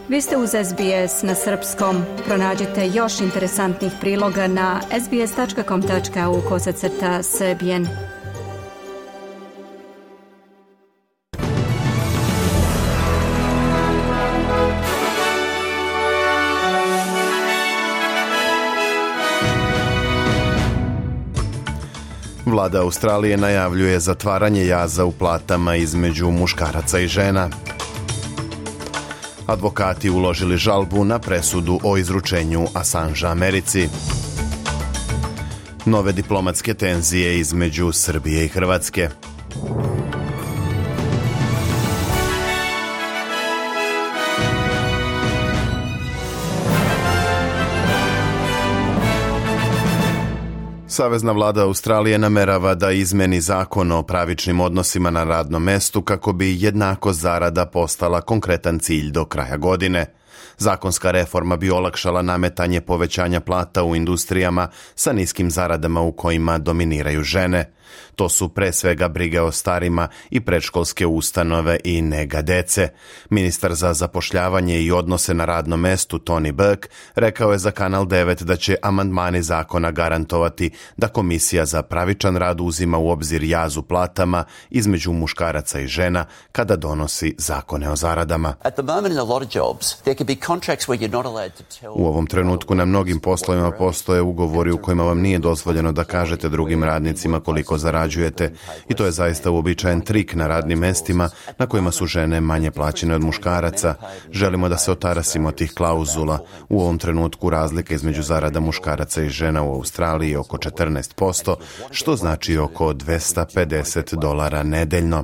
Vi ste uz SBS na srpskom. Pronađite još interesantnih priloga na sbs.com.au/srbijen. Vlada Australije najavljuje zatvaranje jaza u platama između muškaraca i žena. Advokati uložili žalbu na presudu o izručenju Assangea Americi. Nove diplomatske tenzije između Srbije i Hrvatske. Savezna vlada Australije namerava da izmeni zakon o pravičnim odnosima na radnom mestu kako bi jednakost zarada postala konkretan cilj do kraja godine. Zakonska reforma bi olakšala nametanje povećanja plata u industrijama sa niskim zaradama u kojima dominiraju žene. To su pre svega brige o starima i predškolske ustanove i nega dece. Ministar za zapošljavanje i odnose na radnom mestu Tony Burke rekao je za Kanal 9 da će amandmani zakona garantovati da Komisija za pravičan rad uzima u obzir jaz u platama između muškaraca i žena kada donosi zakone o zaradama. U ovom trenutku na mnogim poslovima postoje ugovori u kojima vam nije dozvoljeno da kažete drugim radnicima koliko zarađujete i to je zaista uobičajen trik na radnim mestima na kojima su žene manje plaćene od muškaraca. Želimo da se otarasimo tih klauzula. U ovom trenutku razlika između zarada muškaraca i žena u Australiji je oko 14%, što znači oko $250 nedeljno.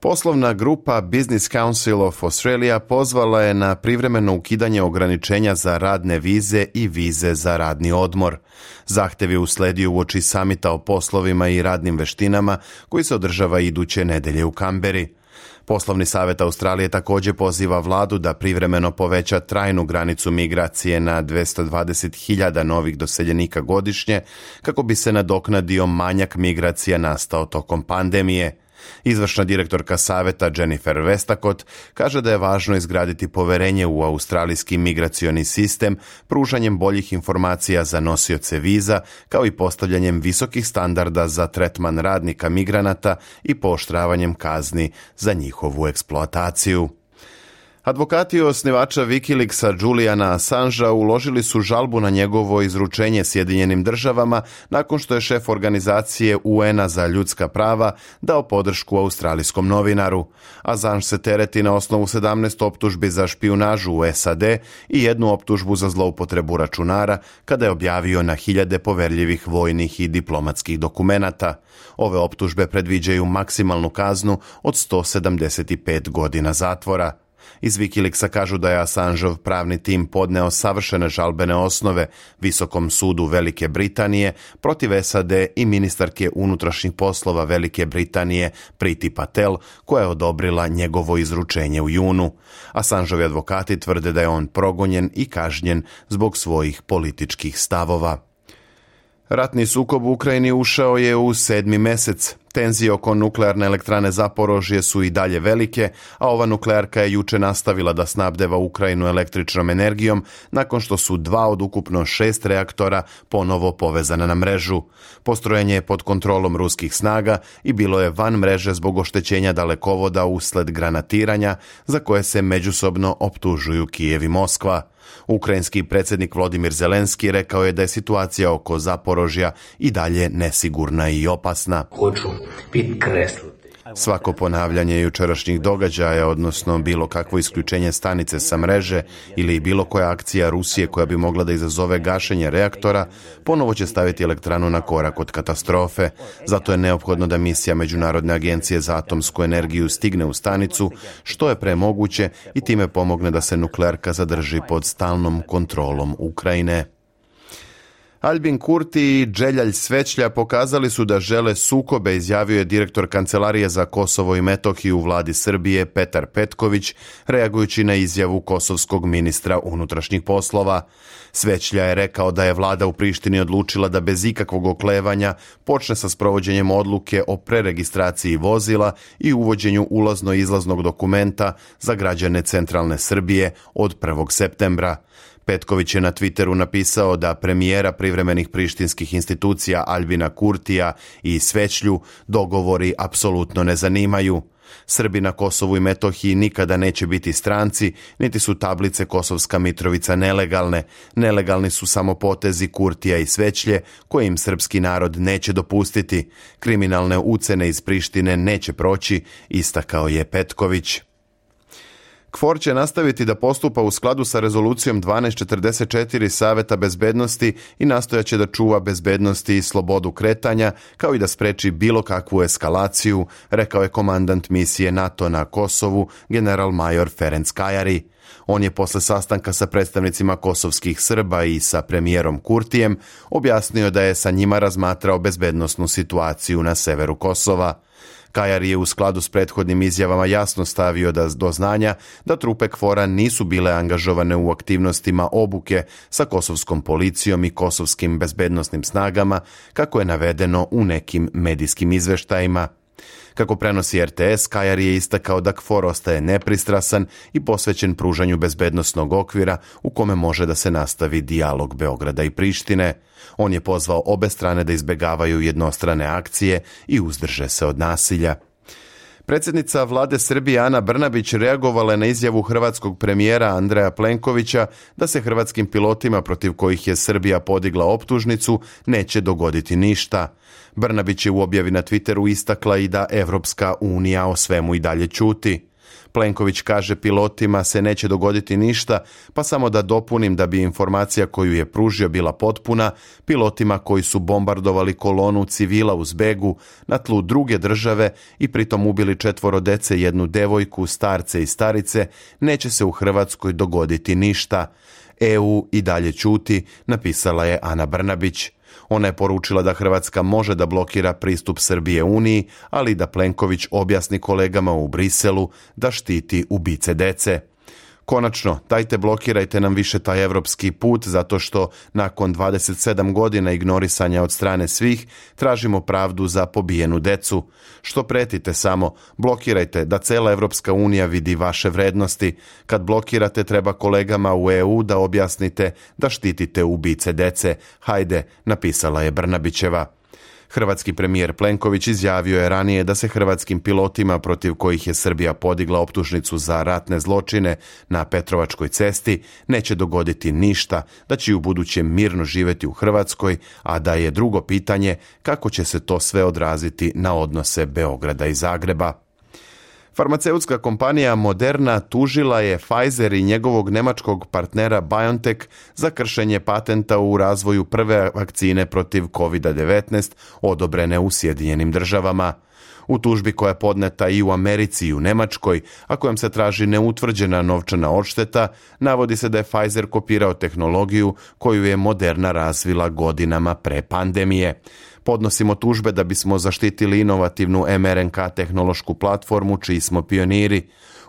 Poslovna grupa Business Council of Australia pozvala je na privremeno ukidanje ograničenja za radne vize i vize za radni odmor. Zahtev je usledio uoči samita o poslovima i radnim veštinama koji se održava iduće nedelje u Kamberi. Poslovni savjet Australije također poziva vladu da privremeno poveća trajnu granicu migracije na 220.000 novih doseljenika godišnje kako bi se nadoknadio manjak migracija nastao tokom pandemije. Izvršna direktorka savjeta Jennifer Westacott kaže da je važno izgraditi poverenje u australijski migracioni sistem pružanjem boljih informacija za nosioce viza, kao i postavljanjem visokih standarda za tretman radnika migranata i pooštravanjem kazni za njihovu eksploataciju. Advokati osnivača Wikileaksa Juliana Assangea uložili su žalbu na njegovo izručenje Sjedinjenim državama nakon što je šef organizacije UN-a za ljudska prava dao podršku australijskom novinaru. Assange se tereti na osnovu 17 optužbi za špijunažu u SAD i jednu optužbu za zloupotrebu računara kada je objavio na hiljade poverljivih vojnih i diplomatskih dokumenata. Ove optužbe predviđaju maksimalnu kaznu od 175 godina zatvora. Iz Wikileaksa kažu da je Assangeov pravni tim podneo savršene žalbene osnove Visokom sudu Velike Britanije protiv SAD i ministarke unutrašnjih poslova Velike Britanije Priti Patel, koja je odobrila njegovo izručenje u junu. Assangeovi advokati tvrde da je on progonjen i kažnjen zbog svojih političkih stavova. Ratni sukob u Ukrajini ušao je u 7. mesec. Tenzije oko nuklearne elektrane Zaporožje su i dalje velike, a ova nuklearka je juče nastavila da snabdeva Ukrajinu električnom energijom nakon što su 2 od ukupno 6 reaktora ponovo povezana na mrežu. Postrojenje je pod kontrolom ruskih snaga i bilo je van mreže zbog oštećenja dalekovoda usled granatiranja za koje se međusobno optužuju Kijev i Moskva. Ukrajinski predsjednik Volodymyr Zelenski rekao je da je situacija oko Zaporožja i dalje nesigurna i opasna. Svako ponavljanje jučerašnjih događaja, odnosno bilo kakvo isključenje stanice sa mreže ili bilo koja akcija Rusije koja bi mogla da izazove gašenje reaktora, ponovo će staviti elektranu na korak od katastrofe. Zato je neophodno da misija Međunarodne agencije za atomsku energiju stigne u stanicu što je pre moguće i time pomogne da se nuklearka zadrži pod stalnom kontrolom Ukrajine. Albin Kurti i Dželjalj Svećlja pokazali su da žele sukobe, izjavio je direktor Kancelarije za Kosovo i Metohiju u vladi Srbije Petar Petković, reagujući na izjavu kosovskog ministra unutrašnjih poslova. Svećlja je rekao da je vlada u Prištini odlučila da bez ikakvog oklevanja počne sa sprovođenjem odluke o preregistraciji vozila i uvođenju ulazno-izlaznog dokumenta za građane centralne Srbije od 1. septembra. Petković je na Twitteru napisao da premijera privremenih prištinskih institucija Albina Kurtija i Svećlju dogovori apsolutno ne zanimaju. Srbi na Kosovu i Metohiji nikada neće biti stranci, niti su tablice Kosovska Mitrovica nelegalne. Nelegalni su samo potezi Kurtija i Svećlje, koje im srpski narod neće dopustiti. Kriminalne ucene iz Prištine neće proći, istakao je Petković. KFOR će nastaviti da postupa u skladu sa rezolucijom 1244 Saveta bezbednosti i nastojaće da čuva bezbednosti i slobodu kretanja, kao i da spreči bilo kakvu eskalaciju, rekao je komandant misije NATO na Kosovu, general-major Ferenc Kajari. On je posle sastanka sa predstavnicima kosovskih Srba i sa premijerom Kurtijem objasnio da je sa njima razmatrao bezbednosnu situaciju na severu Kosova. Kajari je u skladu s prethodnim izjavama jasno stavio do znanja da trupe KFOR-a nisu bile angažovane u aktivnostima obuke sa kosovskom policijom i kosovskim bezbednosnim snagama, kako je navedeno u nekim medijskim izveštajima. Kako prenosi RTS, Kajari je istakao da KFOR ostaje nepristrasan i posvećen pružanju bezbednosnog okvira u kome može da se nastavi dijalog Beograda i Prištine. On je pozvao obe strane da izbegavaju jednostrane akcije i uzdrže se od nasilja. Predsjednica vlade Srbije Ana Brnabić reagovala je na izjavu hrvatskog premijera Andreja Plenkovića da se hrvatskim pilotima protiv kojih je Srbija podigla optužnicu neće dogoditi ništa. Brnabić je u objavi na Twitteru istakla i da Evropska unija o svemu i dalje ćuti. Plenković kaže pilotima se neće dogoditi ništa, pa samo da dopunim da bi informacija koju je pružio bila potpuna, pilotima koji su bombardovali kolonu civila u zbegu na tlu druge države i pritom ubili 4 dece, 1 devojku, starce i starice, neće se u Hrvatskoj dogoditi ništa. EU i dalje ćuti, napisala je Ana Brnabić. Ona je poručila da Hrvatska može da blokira pristup Srbije Uniji, ali da Plenković objasni kolegama u Briselu da štiti ubice dece. Konačno, dajte blokirajte nam više taj evropski put, zato što nakon 27 godina ignorisanja od strane svih tražimo pravdu za pobijenu decu. Što pretite samo, blokirajte da cela Evropska unija vidi vaše vrednosti. Kad blokirate, treba kolegama u EU da objasnite da štitite ubice dece. Hajde, napisala je Brnabićeva. Hrvatski premijer Plenković izjavio je ranije da se hrvatskim pilotima protiv kojih je Srbija podigla optužnicu za ratne zločine na Petrovačkoj cesti neće dogoditi ništa, da će u budućem mirno živjeti u Hrvatskoj, a da je drugo pitanje kako će se to sve odraziti na odnose Beograda i Zagreba. Farmaceutska kompanija Moderna tužila je Pfizer i njegovog nemačkog partnera BioNTech za kršenje patenta u razvoju prve vakcine protiv COVID-19 odobrene u Sjedinjenim državama. U tužbi koja je podneta i u Americi i u Nemačkoj, a kojom se traži neutvrđena novčana odšteta, navodi se da je Pfizer kopirao tehnologiju koju je Moderna razvila godinama pre pandemije. Podnosimo tužbe da bismo zaštitili inovativnu mRNK tehnološku platformu čiji smo pioniri.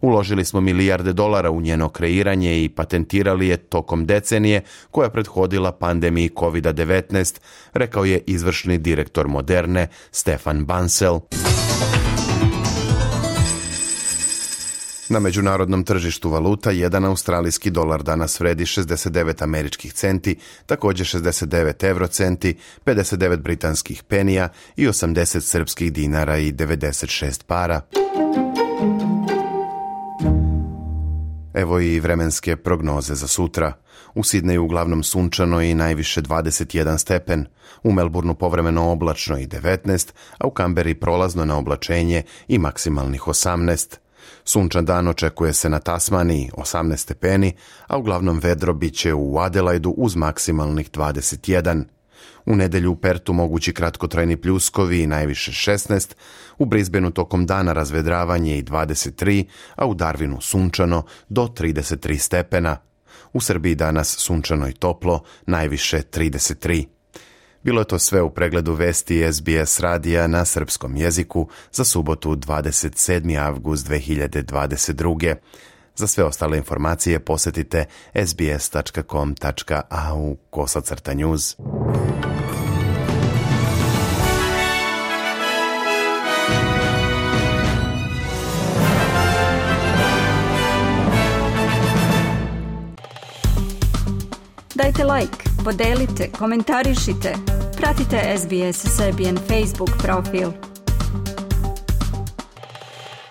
Uložili smo milijarde dolara u njeno kreiranje i patentirali je tokom decenije koja je prethodila pandemiji COVID-19, rekao je izvršni direktor Moderne Stefan Bancel. Na međunarodnom tržištu valuta 1 australijski dolar danas vredi 69 američkih centi, također 69 eurocenti, 59 britanskih penija i 80 srpskih dinara i 96 para. Evo i vremenske prognoze za sutra. U Sidneju uglavnom sunčano i najviše 21 stepen, u Melbourneu povremeno oblačno i 19, a u Kamberi prolazno na oblačenje i maksimalnih 18. Sunčan dan očekuje se na Tasmaniji 18 stepeni, a uglavnom vedro bit će u Adelaidu uz maksimalnih 21. U nedjelju u Pertu mogući kratkotrajni pljuskovi i najviše 16, u Brisbaneu tokom dana razvedravanje i 23, a u Darwinu sunčano do 33 stepena. U Srbiji danas sunčano i toplo, najviše 33. Bilo je to sve u pregledu vesti SBS radija na srpskom jeziku za subotu 27. avgust 2022. Za sve ostale informacije posjetite sbs.com.au/news. Dajte like, podelite, komentarišite. Pratite SBS Serbian Facebook profil.